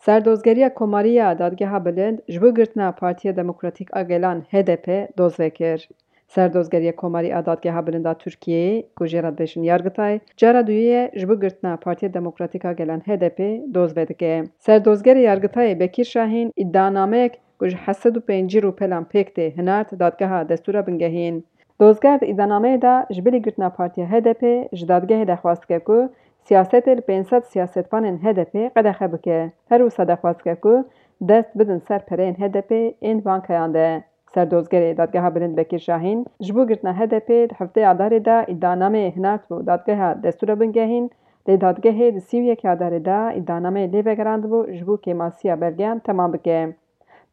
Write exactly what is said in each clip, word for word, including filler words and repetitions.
Serdozgeriya Komarî ya Dadgeha Bilind ji bo girtina Partiya Demokratîk a Gelan H D P doz vekir. Serdozgeriya Komarî a Dadgeha Bilind a Tirkiyeyê, ku jê re dibêjin Yargitay, cara duyê ye ji bo girtina Partiya Demokratîk a Gelan H D P doz vedike. Serdozgerê Yargitayê Bekîr Şahîn îdianameyek ku ji heft sed û pêncî rûpelan pêk tê hinart Dadgeha Destûra Bingehîn. Dozger di îdianameyê de ji bilî girtina Partiya H D P ji dadgehê dexwaz dike ku siyasetê li pênc sed siyasetvanên H D P qedexe bike. Her wisa dexwaz dike ku dest bidin ser pereyên H D P ên bankayan de. Serdozgerê Dadgeha Bilind Bekir Şahîn ji bo girtina H D P di heftê Adarê de îdianameyê hinartibû Dadgeha Destûra Bingehîn, lê dadgehê di sî û yekê Adarê de îdianameyê lê vegerandibû ji bo kêmasiya belgeyan temam bike.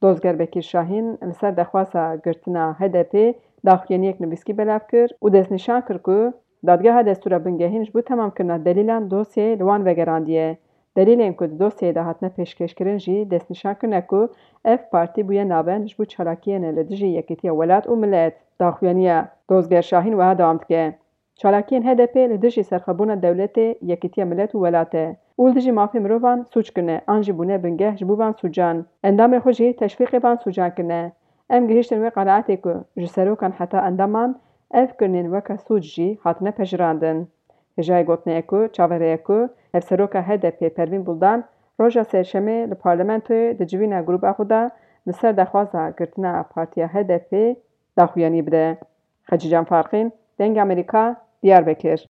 Dozger Bekir Şahîn li ser dexwaza girtina H D P daxuyaniyek nivîskî belav kir û destnîşan kir ku Dadgeha Destûra Bingehîn ji bo temamkirina delîlan dosyeyê li wan vegerandiye. Delîlên ku di dosyeyê de hatine pêşkêşkirin jî destnîşan kirine ku ev partî bûye navend ji bo çalakiyên li dijî yekîtiya welat û milet. Daxuyaniya Dozger Şahîn wiha dewam dike. Çalakiyên H D P li dijî serxwebûna dewletê, yekîtiya milet û welat e û li dijî mafê mirovan sûc kirine an jî bûne bingeh ji bo van sûcan. Endamê xwe jî teşwîqê van sûcan kirine. Em gihiştin wê qenaetê ku ji serokan heta endaman ev kirinên weke sûc jî hatine pejirandin. Hêjayê gotinê ye ku çaverê ye ku Hevseroka H D P Pervîn Buldan roja Sêşemê li parlamentoyê di civîna grûba xwe de li ser daxwaza girtina partiya H D P daxuyanî bide. Xecîcan Farqîn, Dengê Amerîka, Diyarbekir.